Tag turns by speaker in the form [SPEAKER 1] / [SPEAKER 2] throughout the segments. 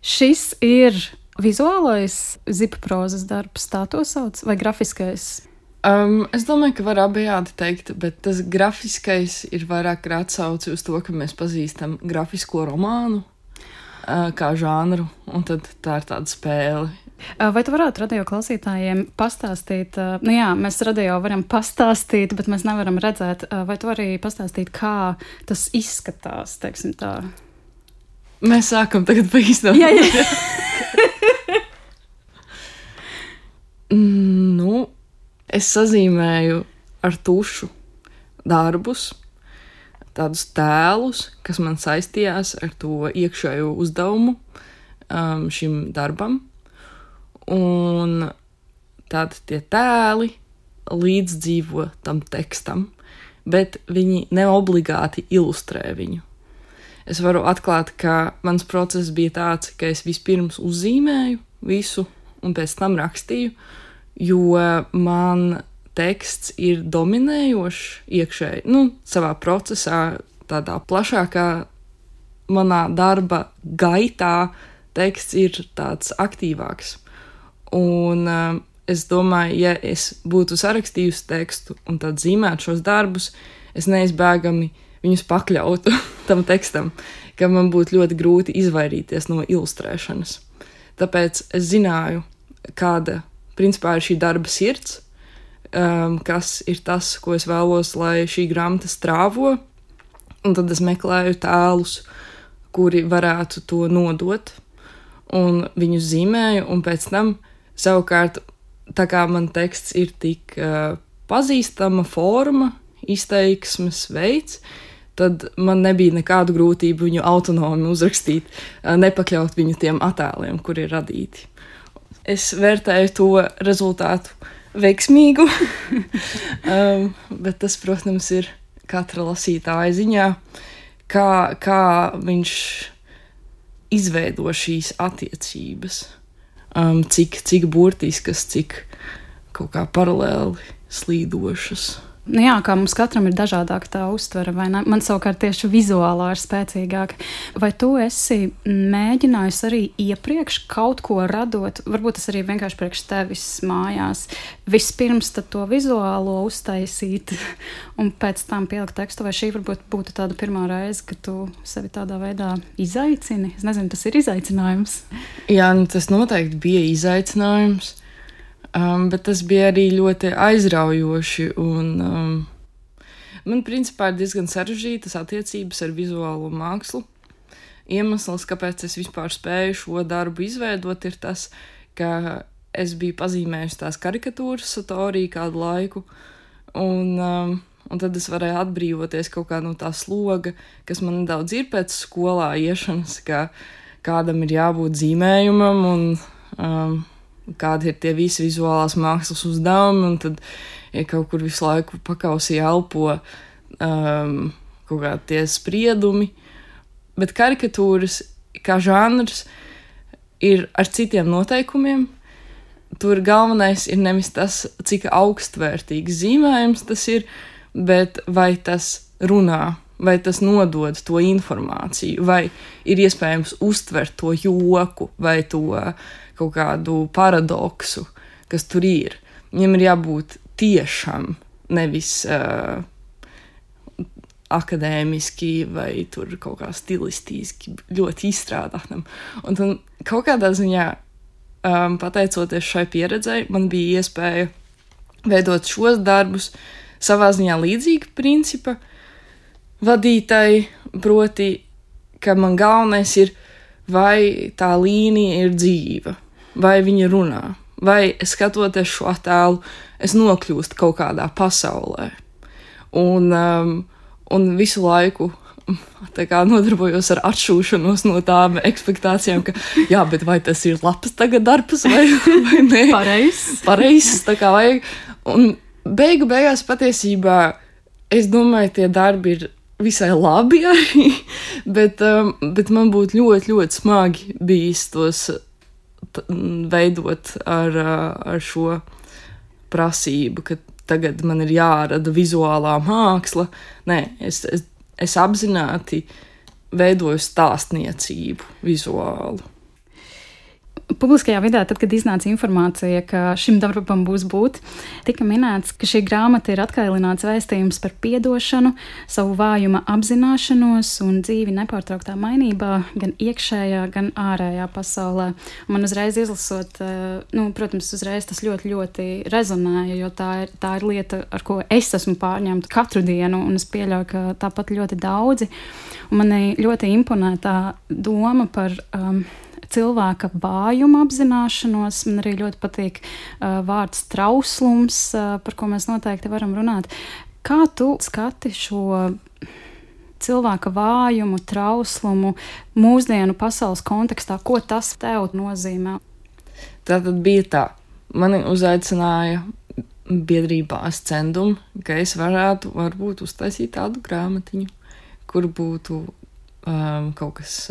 [SPEAKER 1] Šis ir vizuālais zipaprozas darbs, tā to sauc, vai grafiskais?
[SPEAKER 2] Es domāju, ka var abejādi teikt, bet tas grafiskais ir vairāk ar atsauci uz to, ka mēs pazīstam grafisko romānu kā žanru, un tad tā ir tāda spēle.
[SPEAKER 1] Vai tu varētu radio klausītājiem pastāstīt, nu jā, mēs radio varam pastāstīt, bet mēs nevaram redzēt, vai tu arī pastāstīt, kā tas izskatās, teiksim tā?
[SPEAKER 2] Mēs sākam tagad pa īstenam.
[SPEAKER 1] Jā.
[SPEAKER 2] Nu, es sazīmēju ar tušu darbus, tādus tēlus, kas man saistījās ar to iekšējo uzdevumu šim darbam. Un tad tie tēli līdzdzīvo tam tekstam, bet viņi neobligāti ilustrē viņu. Es varu atklāt, ka mans process bija tāds, ka es vispirms uzzīmēju visu un pēc tam rakstīju, jo man teksts ir dominējošs iekšēji, savā procesā, tādā plašākā manā darba gaitā teksts ir tāds aktīvāks. Un es domāju, ja es būtu sarakstījusi tekstu un tad zīmētu šos darbus, es neizbēgami viņus pakļautu tam tekstam, ka man būtu ļoti grūti izvairīties no ilustrēšanas. Tāpēc es zināju, kāda principā ir šī darba sirds, kas ir tas, ko es vēlos, lai šī grāmata strāvo, un tad es meklēju tēlus, kuri varētu to nodot, un viņus zīmēju, un pēc tam savukārt, tā kā man teksts ir tik pazīstama forma, izteiksmes veids, tad man nebija nekādu grūtību viņu autonomi uzrakstīt, nepakļaut viņu tiem attēliem, kuri ir radīti. Es vērtēju to rezultātu veiksmīgu, bet tas, protams, ir katra lasītāja ziņā, kā viņš izveido šīs attiecības, cik burtiskas, cik kaut kā paralēli slīdošas.
[SPEAKER 1] Nu jā, kā mums katram ir dažādāka tā uztvere, vai ne? Man savukārt tieši vizuālā ir spēcīgāka. Vai tu esi mēģinājis arī iepriekš kaut ko radot, varbūt tas arī vienkārši priekš tevis mājās, vispirms tad to vizuālo uztaisīt un pēc tam pielikt tekstu, vai šī varbūt būtu tāda pirmā reize, ka tu sevi tādā veidā izaicini? Es nezinu, tas ir izaicinājums.
[SPEAKER 2] Jā, tas noteikti bija izaicinājums. Bet tas bija arī ļoti aizraujoši, un man principā ir diezgan sarežģītas attiecības ar vizuālo mākslu. Iemesls, kāpēc es vispār spēju šo darbu izveidot, ir tas, ka es biju pazīmējusi tās karikatūras Satorī kādu laiku, un tad es varēju atbrīvoties kaut kā no tā sloga, kas man nedaudz ir pēc skolā iešanas, ka kādam ir jābūt zīmējumam, un kādi ir tie visi vizuālās mākslas uzdevumi, un tad, ja kaut kur visu laiku pakausī elpo kaut kā tie spriedumi, bet karikatūras kā žanrs ir ar citiem noteikumiem. Tur galvenais ir nevis tas, cik augstvērtīgs zīmējums tas ir, bet vai tas runā, vai tas nodod to informāciju, vai ir iespējams uztvert to joku, vai to kaut kādu paradoksu, kas tur ir. Viņam ir jābūt tiešam, nevis akadēmiski vai tur kaut kā stilistiski ļoti izstrādātam. Un tad kaut kādā ziņā, pateicoties šai pieredzei, man bija iespēja veidot šos darbus savā ziņā līdzīgi principa vadītai, proti, ka man galvenais ir, vai tā līnija ir dzīva, vai viņa runā, vai skatoties šo attēlu, es nokļūstu kaut kādā pasaulē. Un visu laiku tā kā nodarbojos ar atšūšanos no tām ekspektācijām, ka jā, bet vai tas ir labs tagad darbs vai nē? Pareizs, tā kā vajag. Un beigās patiesībā, es domāju, tie darbi ir visai labi arī, bet man būtu ļoti, ļoti smagi bijis tos veidot ar šo prasību, ka tagad man ir jārada vizuālā māksla. Nē, es apzināti veidoju stāstniecību vizuālu.
[SPEAKER 1] Publiskajā vidē, tad, kad iznāca informācija, ka šim darbam būs būt, tika minēts, ka šī grāmata ir atkailināts vēstījums par piedošanu, savu vājuma apzināšanos un dzīvi nepārtrauktā mainībā, gan iekšējā, gan ārējā pasaulē. Un man uzreiz izlasot, protams, uzreiz tas ļoti, ļoti rezonēja, jo tā ir lieta, ar ko es esmu pārņemta katru dienu, un es pieļauju, ka tāpat ļoti daudzi. Un mani ļoti imponē tā doma par cilvēka vājuma apzināšanos. Man arī ļoti patīk vārds trauslums, par ko mēs noteikti varam runāt. Kā tu skati šo cilvēka vājumu, trauslumu mūsdienu pasaules kontekstā? Ko tas tev nozīmē?
[SPEAKER 2] Tā tad bija tā. Mani uzaicināja biedrībā Ascendum, ka es varētu varbūt uztaisīt tādu grāmatiņu, kur būtu kaut kas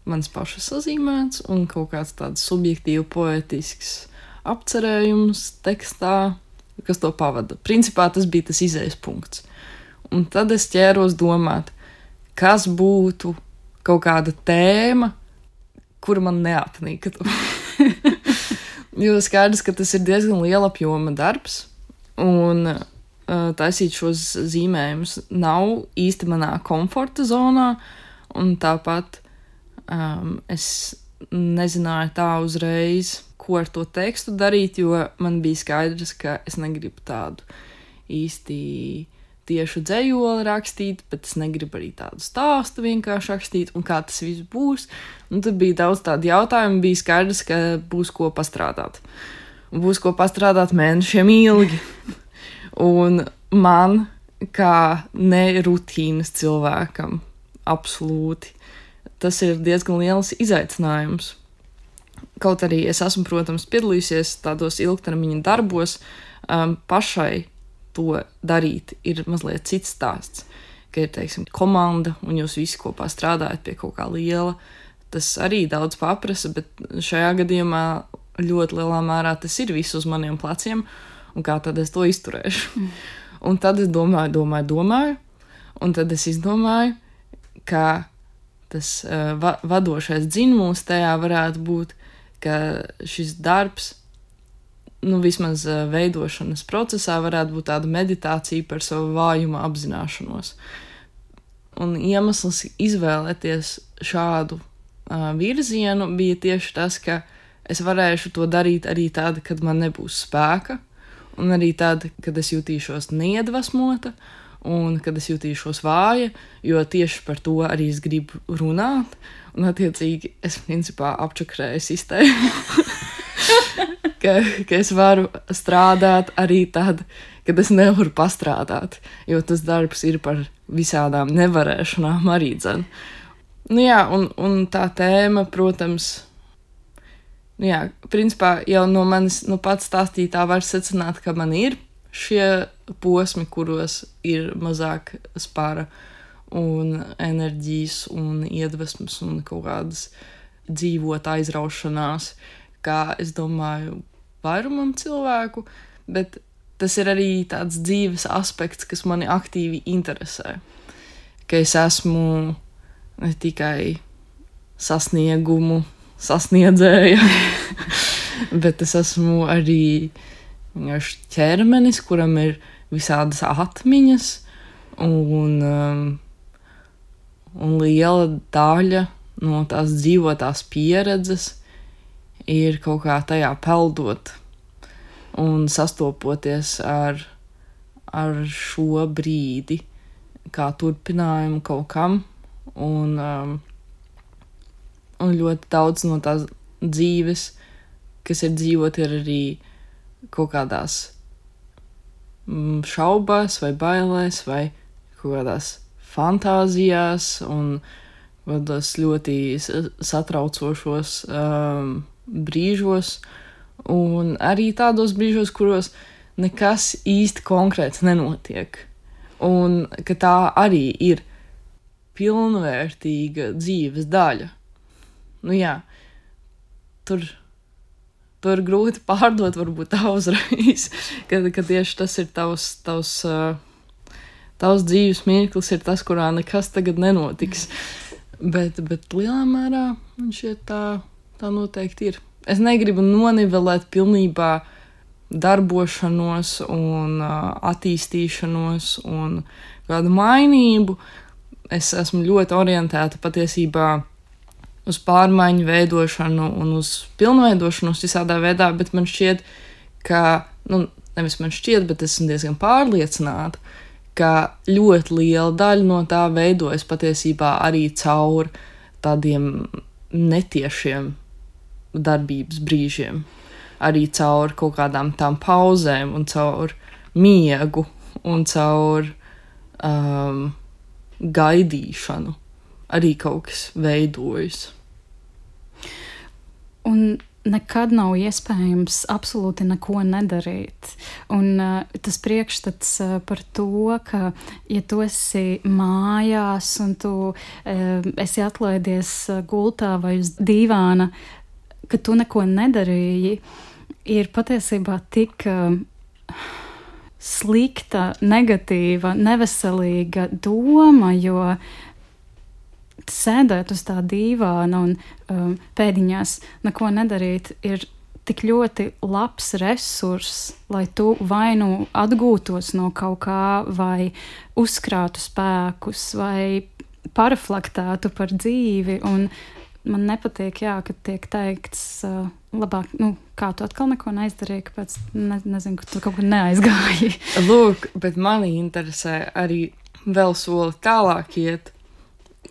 [SPEAKER 2] mans pašas sazīmēts un kaut kāds tāds subjektīvi poetisks apcerējums tekstā, kas to pavada. Principā tas bija tas izējas punkts. Un tad es ķēros domāt, kas būtu kaut kāda tēma, kura man neapnīktu. Jo skaidrs, ka tas ir diezgan liela apjoma darbs, un taisīt šos zīmējumus nav īsti manā komforta zonā, un tāpat es nezināju tā uzreiz, ko ar to tekstu darīt, jo man bija skaidrs, ka es negribu tādu īsti tiešu dzejoli rakstīt, bet es negribu arī tādu stāstu vienkārši rakstīt, un kā tas viss būs. Un tad bija daudz tādu jautājumu, bija skaidrs, ka būs ko pastrādāt. Un būs ko pastrādāt mēnešiem ilgi. Un man, kā nerutīnas cilvēkam, absolūti, tas ir diezgan liels izaicinājums. Kaut arī es esmu, protams, piedalījusies tādos ilgtermiņa darbos, pašai to darīt ir mazliet cits stāsts, ka ir, teiksim, komanda un jūs visi kopā strādājat pie kaut kā liela. Tas arī daudz paprasa, bet šajā gadījumā ļoti lielā mērā tas ir viss uz maniem pleciem, un kā tad es to izturēšu. Un tad es domāju, un tad es izdomāju, ka tas vadošais dzinums tajā varētu būt, ka šis darbs, vismaz veidošanas procesā varētu būt tāda meditācija par savu vājuma apzināšanos. Un iemesls izvēlēties šādu virzienu bija tieši tas, ka es varēšu to darīt arī tad, kad man nebūs spēka, un arī tad, kad es jutīšos neiedvesmota, un kad es jutīšos vāja, jo tieši par to arī es gribu runāt, un attiecīgi es principā apčakrēju sistēmu, ka es varu strādāt arī tad, kad es nevaru pastrādāt, jo tas darbs ir par visādām nevarēšanām arī dzen. Un tā tēma, protams, principā jau no manis pats stāstītā var secināt, ka man ir šie posmi, kuros ir mazāk spara un enerģijas un iedvesmas un kaut kādas dzīvot aizraušanās, kā es domāju vairumam cilvēku, bet tas ir arī tāds dzīves aspekts, kas mani aktīvi interesē. Ka es esmu ne tikai sasniegumu sasniedzēja, bet es esmu arī ķermenis, kuram ir visādas atmiņas, un liela daļa no tās dzīvotās pieredzes ir kaut kā tajā peldot un sastopoties ar šo brīdi, kā turpinājumu kaut kam, un ļoti daudz no tās dzīves, kas ir dzīvot, ir arī kaut kādās šaubās vai bailēs vai kaut kādās fantāzijās un kādos ļoti satraucošos brīžos, un arī tādos brīžos, kuros nekas īsti konkrēts nenotiek, un ka tā arī ir pilnvērtīga dzīves daļa. To ir grūti pārdot varbūt tā uzreiz, ka tieši tas ir tavs dzīves mirklis, ir tas, kurā nekas tagad nenotiks. Bet lielā mērā man šķiet tā noteikti ir. Es negribu nonivelēt pilnībā darbošanos un attīstīšanos un kādu mainību. Es esmu ļoti orientēta patiesībā uz pārmaiņu veidošanu un uz pilnveidošanos visādā veidā, bet man šķiet, ka, nevis man šķiet, bet esmu diezgan pārliecināta, ka ļoti liela daļa no tā veidojas patiesībā arī caur tādiem netiešiem darbības brīžiem, arī caur kaut kādām tām pauzēm un caur miegu un caur gaidīšanu arī kaut kas veidojas.
[SPEAKER 1] Un nekad nav iespējams absolūti neko nedarīt. Un tas priekšstats par to, ka, ja tu esi mājās un tu esi atlaidies gultā vai uz dīvāna, ka tu neko nedarīji, ir patiesībā tik slikta, negatīva, neveselīga doma, jo sēdēt uz tā dīvāna un pēdiņās neko nedarīt ir tik ļoti labs resurss, lai tu vai nu atgūtos no kaut kā, vai uzkrātu spēkus, vai paraflaktētu par dzīvi. Un man nepatīk, ka tiek teikts labāk, kā tu atkal neko neizdarīji, kāpēc nezinu, ka tu kaut kur neaizgāji.
[SPEAKER 2] Lūk, bet mani interesē arī vēl soli tālāk iet,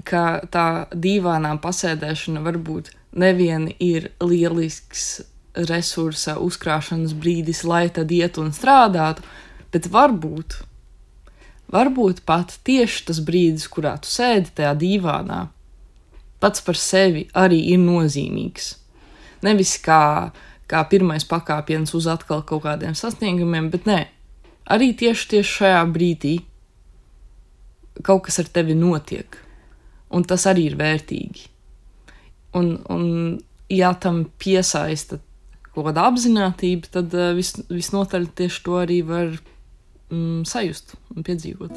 [SPEAKER 2] ka tā dīvānā pasēdēšana varbūt nevien ir lielisks resursa uzkrāšanas brīdis, lai tad iet un strādātu, bet varbūt pat tieši tas brīdis, kurā tu sēdi tajā dīvānā, pats par sevi arī ir nozīmīgs. Nevis kā pirmais pakāpiens uz atkal kaut kādiem sasniegumiem, bet nē, arī tieši šajā brīdī kaut kas ar tevi notiek, un tas arī ir vērtīgi. Un ja tam piesaista kaut kāda apzinātība, tad visnotaļ tieši to arī var sajust un piedzīvot.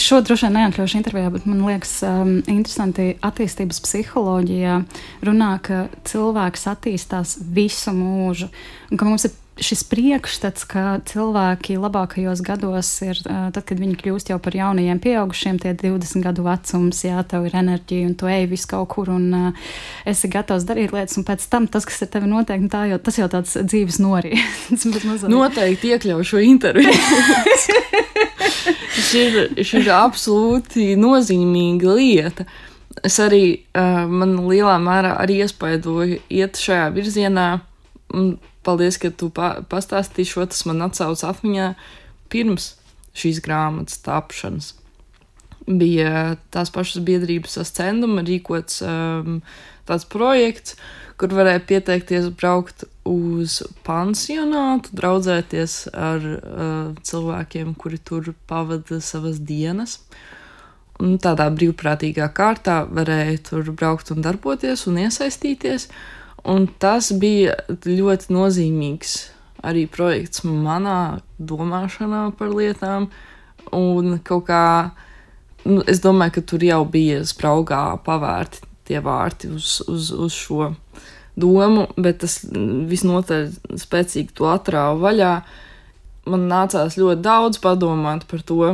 [SPEAKER 1] Šo droši vien neatļaušu intervijā, bet man liekas interesanti attīstības psiholoģijā runā, ka cilvēks attīstās visu mūžu. Un ka mums ir šis priekšstats, ka cilvēki labākajos gados ir, tad, kad viņi kļūst jau par jaunajiem pieaugušiem, tie 20 gadu vecums, tev ir enerģija un tu ej visu kaut kur un esi gatavs darīt lietas, un pēc tam tas, kas ar tevi notiek, tas jau tāds dzīves norīts.
[SPEAKER 2] Noteikti iekļauju šo interviju. Šī ir absolūti nozīmīga lieta. Es arī, man lielā mērā arī iespaidoju iet šajā virzienā. Paldies, ka tu pastāstīji šo, tas man atsauc atmiņā pirms šīs grāmatas tapšanas. Bija tās pašas biedrības Ascenduma rīkots tāds projekts, kur varēja pieteikties braukt uz pansionātu, draudzēties ar cilvēkiem, kuri tur pavada savas dienas. Un tādā brīvprātīgā kārtā varēja tur braukt un darboties un iesaistīties. Un tas bija ļoti nozīmīgs arī projekts manā domāšanā par lietām. Un kaut kā, es domāju, ka tur jau bija spraugā pavērti tie vārti uz šo domu, bet tas visnotaļ spēcīgi to atrāva vaļā. Man nācās ļoti daudz padomāt par to,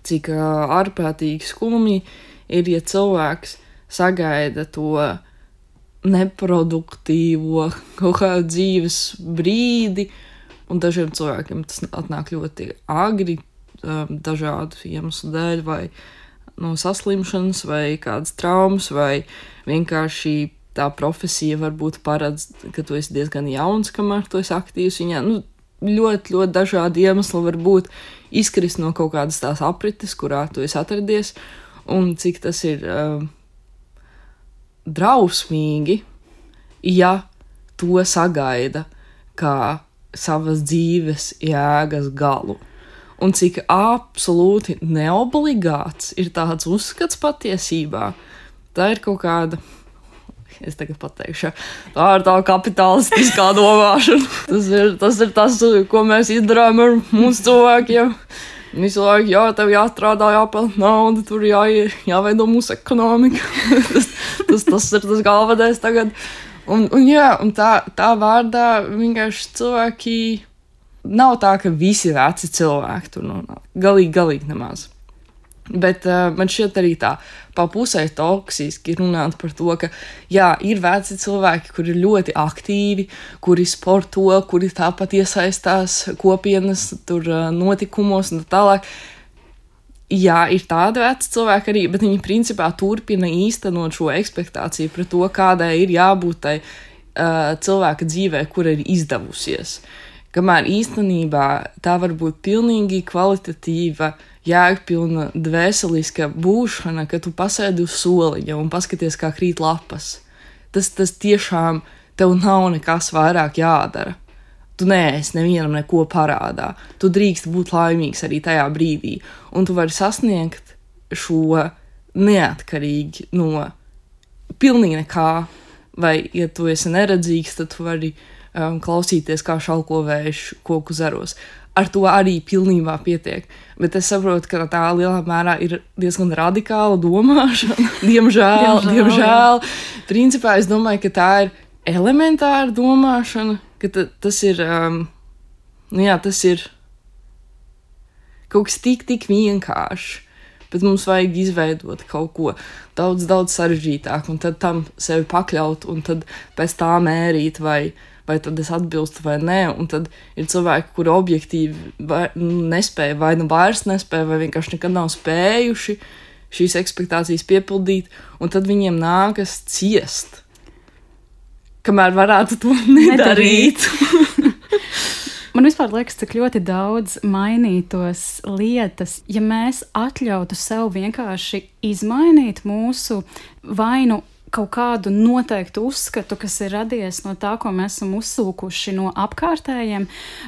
[SPEAKER 2] cik ārprātīgi skumji ir, ja cilvēks sagaida to neproduktīvo kaut kādu dzīves brīdi, un dažiem cilvēkiem tas atnāk ļoti agri, dažādu iemeslu dēļ, vai no saslimšanas, vai kādas traumas, vai vienkārši tā profesija varbūt paredz, ka tu esi diezgan jauns, kamēr tu esi aktīvs viņā. Ļoti, ļoti dažādi iemesli var būt izkrist no kaut kādas tās aprites, kurā tu esi atradies, un cik tas ir drausmīgi, ja to sagaida kā savas dzīves jēgas galu. Un cik absolūti neobligāts ir tāds uzskats patiesībā. Tā ir kaut kāda, es tagad pateikšu, tā ir tā kapitalistiskā domāšana. Tas ir tas, ko mēs izdarām ar mūsu cilvēkiem. Visu laiku, tev jāstrādā, jāpelnā nauda, tur jāveido mūsu ekonomika. tas ir tas galvenais tagad. Un tā vārdā vienkārši cilvēki nav tā, ka visi veci cilvēki tur nonāk. Galīgi nemaz. Bet man šķiet arī tā pa pusē toksiski runāt par to, ka ir veci cilvēki, kuri ir ļoti aktīvi, kuri sporto, kuri tāpat iesaistās kopienas tur notikumos un tālāk. Jā, ir tādi veci cilvēki arī, bet viņi principā turpina īstenot šo ekspektāciju par to, kādai ir jābūt tai cilvēka dzīvē, kura ir izdevusies. Kamēr īstenībā tā var būt pilnīgi kvalitatīva, jēgpilna, dvēseliska būšana, ka tu pasēdi uz soliņa un paskaties, kā krīt lapas. Tas tiešām tev nav nekas vairāk jādara. Tu neesi nevienam neko parādā. Tu drīkst būt laimīgs arī tajā brīdī. Un tu vari sasniegt šo neatkarīgi no pilnīgi nekā. Vai, ja tu esi neredzīgs, tad tu vari klausīties, kā šalko vējš koku zaros. Ar to arī pilnībā pietiek. Bet es saprotu, ka tā lielā mērā ir diezgan radikāla domāšana. Diemžēl. Principā es domāju, ka tā ir elementāra domāšana, ka tas ir, tas ir kaut kas tik vienkārši. Bet mums vajag izveidot kaut ko daudz sarežģītāk, un tad tam sevi pakļaut, un tad pēc tā mērīt, vai tad es atbilstu vai nē, un tad ir cilvēki, kuri objektīvi nespēja, vai nu vairs nespēja, vai vienkārši nekad nav spējuši šīs ekspektācijas piepildīt, un tad viņiem nākas ciest, kamēr varētu to nedarīt.
[SPEAKER 1] Man vispār liekas, cik ļoti daudz mainītos lietas, ja mēs atļautu sev vienkārši izmainīt mūsu vainu kaut kādu noteiktu uzskatu, kas ir radies no tā, ko mēs esam uzsūkuši no apkārtējiem,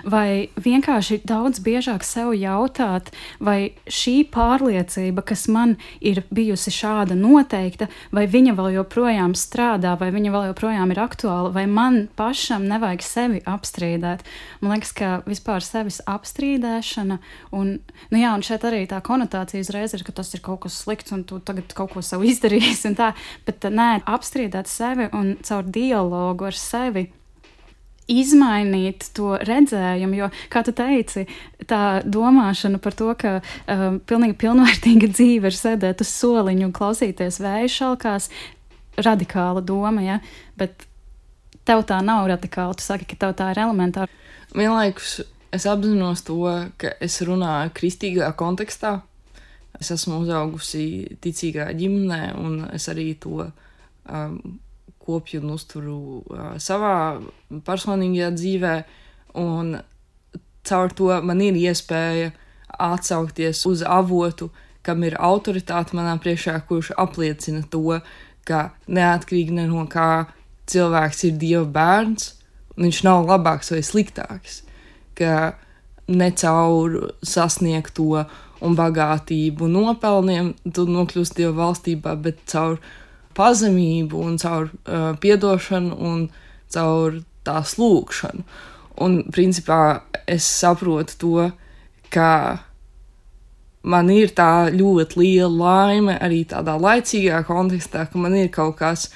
[SPEAKER 1] vai vienkārši daudz biežāk sev jautāt, vai šī pārliecība, kas man ir bijusi šāda noteikta, vai viņa vēl joprojām strādā, vai viņa vēl joprojām ir aktuāla, vai man pašam nevajag sevi apstrīdēt. Man liekas, ka vispār sevis apstrīdēšana, un šeit arī tā konotācija uzreiz ir, ka tas ir kaut kas slikts, un tu tagad kaut ko sev izdarīsi, un tā, bet nē, apstrīdēt sevi un caur dialogu ar sevi izmainīt to redzējumu, jo, kā tu teici, tā domāšana par to, ka pilnīgi pilnvērtīga dzīve ir sēdēt uz soliņu un klausīties vēju šalkās, radikāla doma, ja? Bet tev tā nav radikāla, tu saki, ka tev tā ir elementāra.
[SPEAKER 2] Vienlaikus es apzinos to, ka es runāju kristīgā kontekstā. Es esmu uzaugusi ticīgā ģimenē, un es arī to kopju un uzturu savā personīgajā dzīvē, un caur to man ir iespēja atsaukties uz avotu, kam ir autoritāte manā priekšā, kurš apliecina to, ka neatkarīgi no kā cilvēks ir Dieva bērns, viņš nav labāks vai sliktāks, ka ne caur sasniegto un bagātību nopelniem tu nokļūst Dieva valstībā, bet caur pazemību un caur piedošanu un caur tās lūgšanu. Un principā es saprotu to, ka man ir tā ļoti liela laime arī tādā laicīgā kontekstā, ka man ir kaut kas,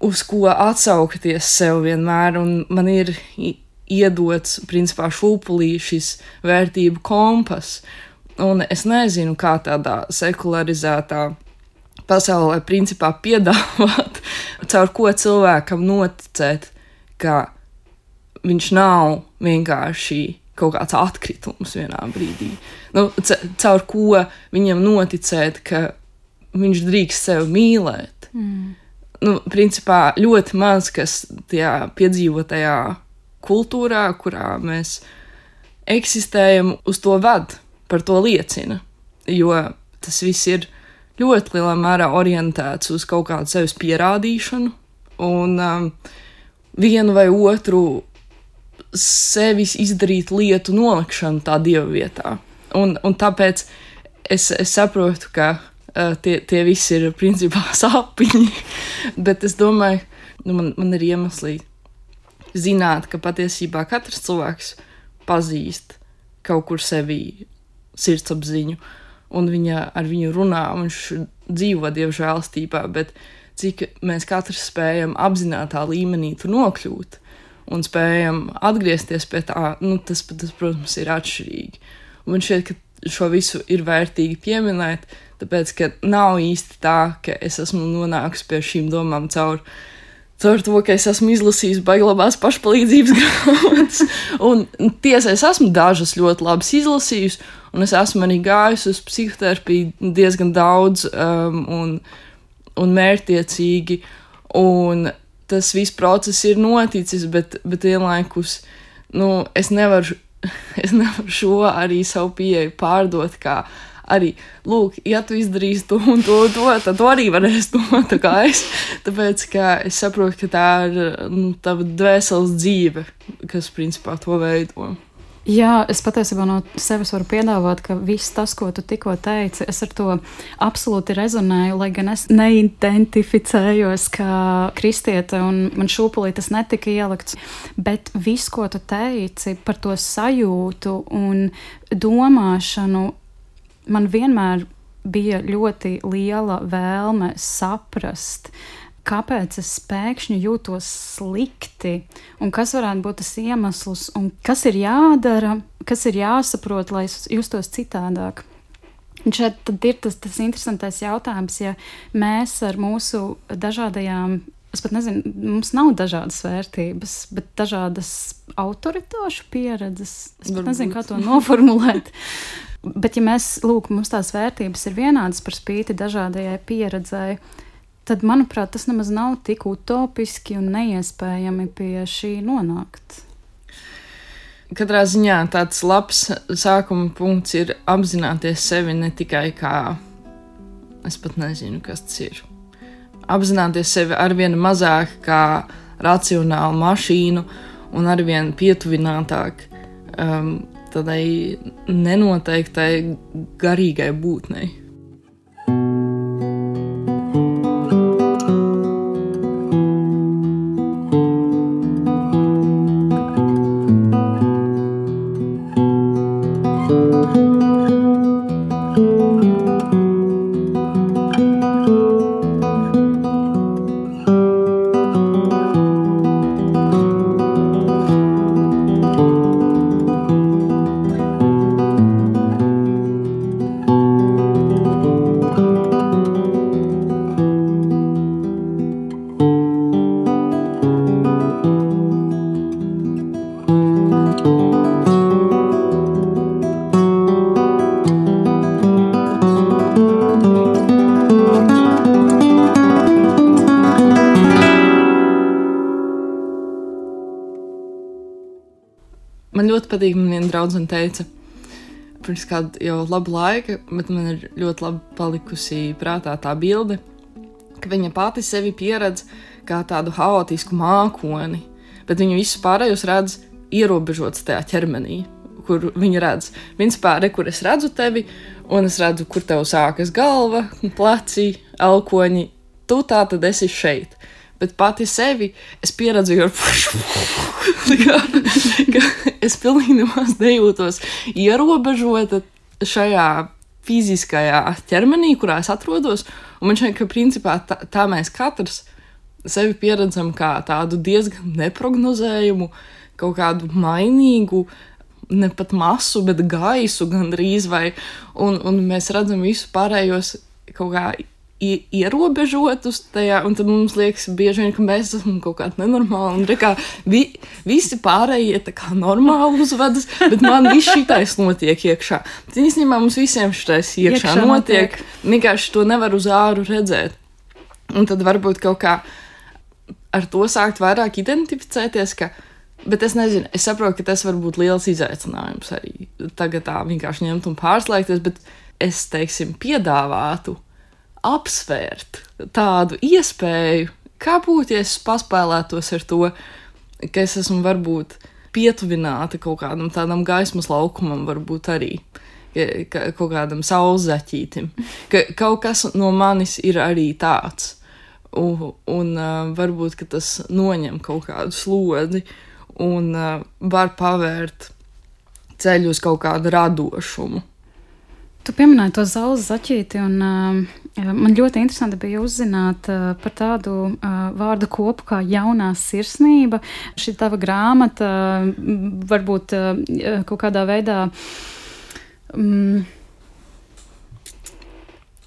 [SPEAKER 2] uz ko atsaukties sev vienmēr, un man ir iedots, principā, šūpulī šis vērtību kompas. Un es nezinu, kā tādā sekularizētā pasaulē, principā, piedāvāt, caur ko cilvēkam noticēt, ka viņš nav vienkārši kaut kāds atkritums vienā brīdī. Caur ko viņam noticēt, ka viņš drīkst sevi mīlēt. Principā, ļoti maz, kas tajā piedzīvotajā kultūrā, kurā mēs eksistējam, uz to ved, par to liecina. Jo tas viss ir ļoti lielā mērā orientēts uz kaut kādu sevis pierādīšanu, un vienu vai otru sevis izdarīt lietu nolikšanu tā dieva vietā. Un tāpēc es saprotu, ka tie visi ir principā sapņi, bet es domāju, man ir iemesli zināt, ka patiesībā katrs cilvēks pazīst kaut kur sevī sirdsapziņu, un ar viņu runā, viņš dzīvo Dieva žēlastībā, bet cik mēs katrs spējam apzinātā līmenī tur nokļūt un spējam atgriezties pie tā, tas, protams, ir atšķirīgi. Un man šķiet, ka šo visu ir vērtīgi pieminēt, tāpēc, ka nav īsti tā, ka es esmu nonākusi pie šīm domām caur to, ka es esmu izlasījis baiglabās pašpalīdzības grāmatas. Un tiesa, es esmu dažas ļoti labas izlasījusi, un es esmu arī gājusi uz psihoterapiju diezgan daudz un mērķtiecīgi, un tas viss process ir noticis, bet vienlaikus, es nevaru šo arī savu pieeju pārdot kā arī, lūk, ja tu izdarīsi to un to, tad tu arī varēsi to, tā kā es. Tāpēc, ka es saprotu, ka tā ir tava dvēseles dzīve, kas principā to veido.
[SPEAKER 1] Jā, es patiesībā no sevis varu piedāvāt, ka viss tas, ko tu tikko teici, es ar to absolūti rezonēju, lai gan es neidentificējos kā kristiete un man šūpulī tas netika ielikts, bet viss, ko tu teici par to sajūtu un domāšanu, man vienmēr bija ļoti liela vēlme saprast, kāpēc es pēkšņi jūtos slikti, un kas varētu būt tas iemesls, un kas ir jādara, kas ir jāsaprot, lai es justos citādāk. Un šeit tad ir tas interesantais jautājums, ja mēs ar mūsu dažādajām, es pat nezinu, mums nav dažādas vērtības, bet dažādas autoritāšu pieredzes, es pat nezinu, kā to noformulēt. Bet ja mēs, mums tās vērtības ir vienādas par spīti dažādajai pieredzēji, tad, manuprāt, tas nemaz nav tik utopiski un neiespējami pie šī nonākt.
[SPEAKER 2] Katrā ziņā tāds labs sākuma punkts ir apzināties sevi ne tikai kā, es pat nezinu, kas tas ir. Apzināties sevi arvien mazāk kā racionālu mašīnu un arvien pietuvinātāk tādai nenoteiktai garīgai būtnei. Man ļoti patīk, man viena draudzene teica, pirms kādu jau labu laiku, bet man ir ļoti labi palikusi prātā tā bilde, ka viņa pati sevi pieredz kā tādu haotisku mākoni, bet viņa visus pārējos redz ierobežots tajā ķermenī, kur viņa redz. Principā, kur es redzu tevi, un es redzu, kur tev sākas galva, pleci, elkoņi, tu tā tad esi šeit. Bet pati sevi es pieredzu ar ka es pilnīgi nemaz nejūtos ierobežota šajā fiziskajā ķermenī, kurā es atrodos, un man šķiet, ka principā tā mēs katrs sevi pieredzam kā tādu diezgan neprognozējumu, kaut kādu mainīgu, ne pat masu, bet gaisu gandrīz, un mēs redzam visu pārējos kaut kā ierobežotus tajā, un tad mums liekas bieži vien, ka mēs esam kaut kādi nenormāli, un kā visi pārējie tā kā normāli uzvedas, bet man viss šitais notiek iekšā. Bet īstenībā mums visiem šitais iekšā notiek. Vienkārši to nevar uz āru redzēt. Un tad varbūt kaut kā ar to sākt vairāk identificēties, bet es nezinu, es saprotu, ka tas var būt liels izaicinājums arī tagad tā vienkārši ņemt un pārslēgties, bet es, teiksim, piedāvātu apsvērt tādu iespēju, kā būtu, ja es paspēlētos ar to, ka es esmu varbūt pietuvināta kaut kādam tādam gaismas laukumam, varbūt arī kaut kādam saulzaķītim. Ka kaut kas no manis ir arī tāds. Un varbūt, ka tas noņem kaut kādu slodzi un var pavērt ceļu uz kaut kādu radošumu.
[SPEAKER 1] Tu pieminēji to saules zaķīti, un man ļoti interesanti bija uzzināt par tādu vārdu kopu kā jaunā sirsnība. Šī tava grāmata varbūt kaut kādā veidā...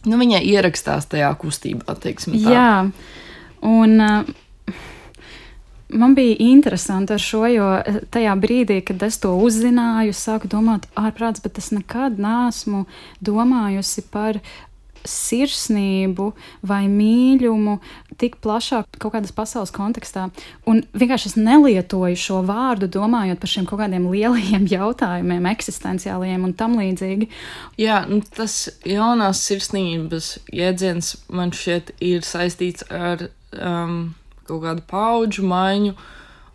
[SPEAKER 2] Viņai ierakstās tajā kustībā, teiksim tā.
[SPEAKER 1] Jā, un... Man bija interesanti ar šo, jo tajā brīdī, kad es to uzzināju, sāku domāt ārprāts, bet es nekad neesmu domājusi par sirsnību vai mīļumu tik plašā kaut kādas pasaules kontekstā. Un vienkārši es nelietoju šo vārdu, domājot par šiem kaut kādiem lielajiem jautājumiem, eksistenciālajiem un tam līdzīgi.
[SPEAKER 2] Jā, tas jaunās sirsnības jēdziens man šķiet ir saistīts ar... kaut kādu paudžu maiņu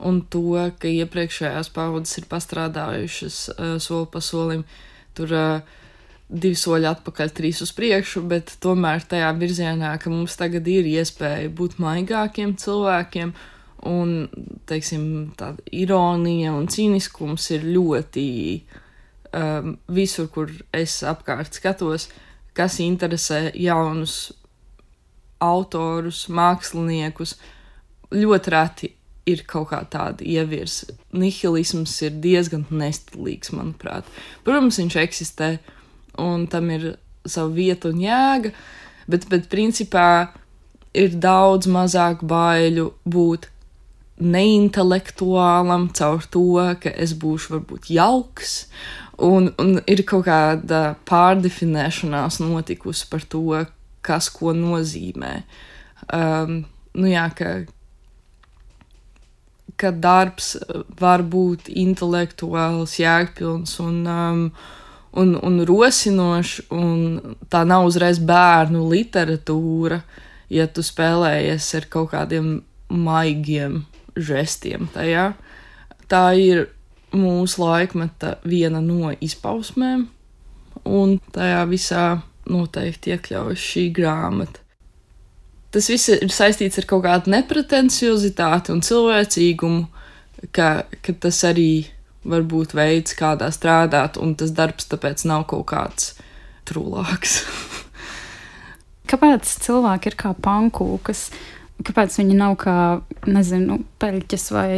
[SPEAKER 2] un to, ka iepriekšējās paudzes ir pastrādājušas soli pa solim, tur 2 soļi atpakaļ, 3 uz priekšu, bet tomēr tajā virzienā, ka mums tagad ir iespēja būt maigākiem cilvēkiem un, teiksim, tāda ironija un cīniskums ir ļoti visur, kur es apkārt skatos, kas interesē jaunus autorus, māksliniekus, ļoti reti ir kaut kā tāda ievirs. Nihilisms ir diezgan nestilīgs, manuprāt. Protams, viņš eksistē, un tam ir sava vieta un jēga, bet principā ir daudz mazāk baiļu būt neintelektuālam caur to, ka es būšu varbūt jauks, un ir kaut kāda pārdefinēšanās notikusi par to, kas ko nozīmē. Jā, ka darbs var būt intelektuāls, jēgpilns un rosinošs, un tā nav uzreiz bērnu literatūra, ja tu spēlējies ar kaut kādiem maigiem žestiem tajā. Tā ir mūsu laikmeta viena no izpausmēm, un tajā visā noteikti iekļaujas šī grāmata. Tas viss ir saistīts ar kaut kādu nepretenciozitāti un cilvēcīgumu, ka tas arī var būt veids, kādā strādāt, un tas darbs tāpēc nav kaut kāds trulāks.
[SPEAKER 1] Kāpēc cilvēki ir kā pankūkas? Kāpēc viņi nav kā, nezinu, peļķes vai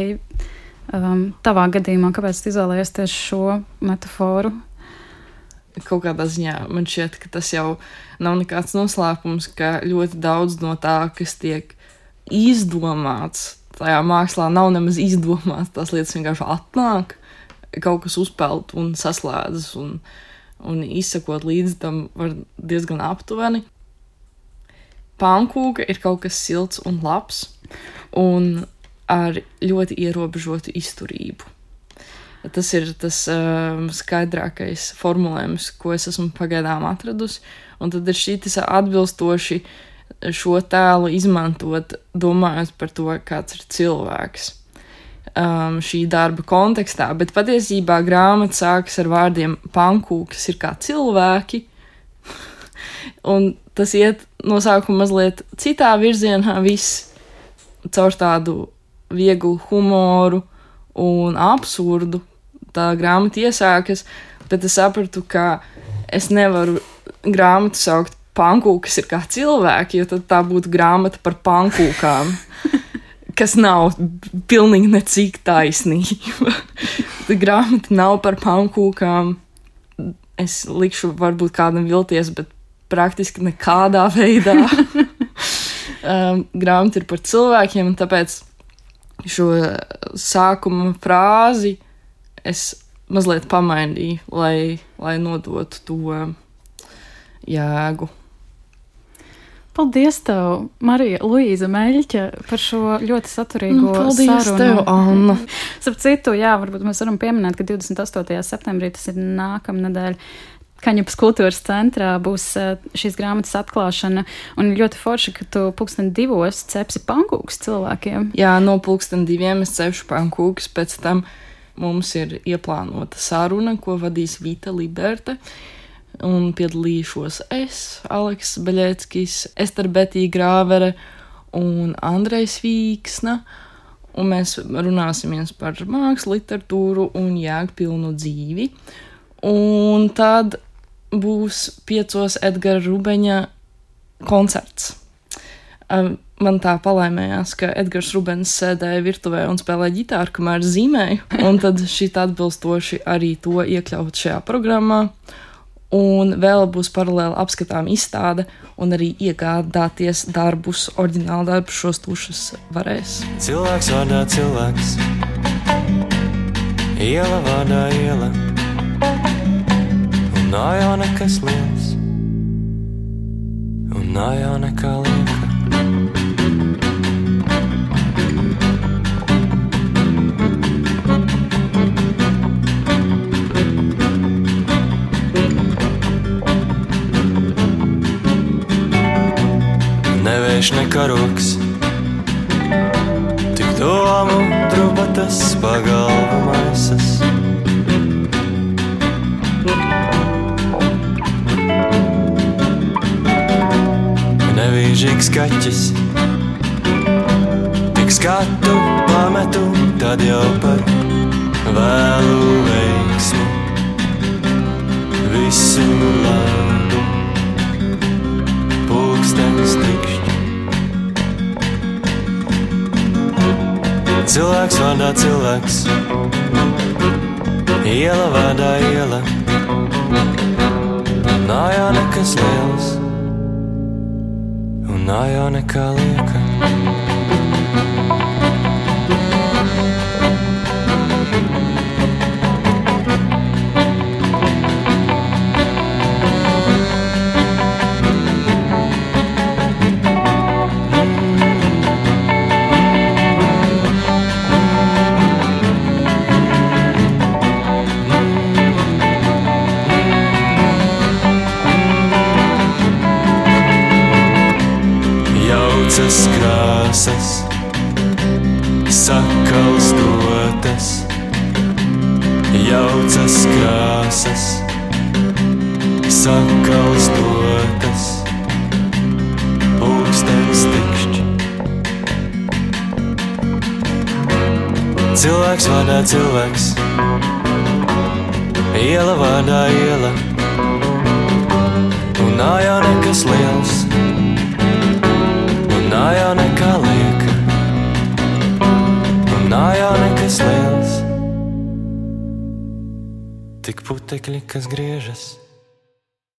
[SPEAKER 1] tavā gadījumā? Kāpēc tu izvēlējies tieši šo metaforu?
[SPEAKER 2] Kaut kādā ziņā man šķiet, ka tas jau nav nekāds noslēpums, ka ļoti daudz no tā, kas tiek izdomāts, tajā mākslā nav nemaz izdomāts, tās lietas vienkārši atnāk, kaut kas uzpeld un saslēdzas, un izsakot līdzi tam var diezgan aptuveni. Pankūka ir kaut kas silts un labs, un ar ļoti ierobežotu izturību. Tas ir tas skaidrākais formulējums, ko es esmu pagaidām atradusi, un tad ir šķitis atbilstoši šo tēlu izmantot, domājot par to, kāds ir cilvēks šī darba kontekstā, bet patiesībā grāmata sākas ar vārdiem pankūkas ir kā cilvēki, un tas iet no sākuma mazliet citā virzienā viss caur tādu vieglu humoru un absurdu. Tā grāmata iesākas, tad es sapratu, ka es nevaru grāmatu saukt pankūkas ir kā cilvēki, jo tad tā būtu grāmata par pankūkām, kas nav pilnīgi necik taisnība. Grāmata nav par pankūkām. Es likšu varbūt kādam vilties, bet praktiski nekādā veidā. Grāmata ir par cilvēkiem, un tāpēc šo sākuma frāzi es mazliet pamainīju, lai nodotu to jēgu.
[SPEAKER 1] Paldies tev, Marija Luīza Meļķe, par šo ļoti saturīgo sarunu.
[SPEAKER 2] Paldies tev, Anna.
[SPEAKER 1] Starp citu, jā, varbūt mēs varam pieminēt, ka 28. septembrī, tas ir nākamnedēļ, Kaņepes kultūras centrā būs šīs grāmatas atklāšana, un ļoti forši, ka tu 2:00 cepsi pankūkus cilvēkiem.
[SPEAKER 2] Jā, no 2:00 es cepšu pankūkus, pēc tam mums ir ieplānota saruna, ko vadīs Vita Liberte, un piedalīšos es, Aleks Beļeckis, Ester Betija Grāvere un Andrejs Vīksna, un mēs runāsimies par mākslu, literatūru un jēgpilnu dzīvi. Un tad būs 5 Edgara Rubeņa koncerts. Man tā palaimējās, ka Edgars Rubens sēdēja virtuvē un spēlēja ģitāru, kamēr zīmēju, un tad šit atbilstoši arī to iekļaut šajā programmā. Un vēl būs paralēli apskatām izstāde, un arī iegādāties darbus, oriģinālu darbus šos tušas varēs.
[SPEAKER 3] Cilvēks vārdā cilvēks, iela vārdā iela, un nav jau nekas liels, un nav jau nekā lieka. Nevērš nekaroks, tik domu drupatas pagalvu maisas. Nevīžīgs kaķis, tik skatu pametu, tad jau par vēlu veiksmu. Visu labu, pulkstenis tikšķi. Cilvēks vārdā cilvēks, iela vārdā iela, nav jau nekas liels, un nav jau nekā lieka. Krāsas, sakalstotas, jaucas krāsas, sakalstotas, pulkstenis tikšķi. Cilvēks vārdā cilvēks, iela vārdā iela, un nav jau nekas liels, nav jau nekā lieka, un nav jau nekas liels, tik putekļi, kas griežas.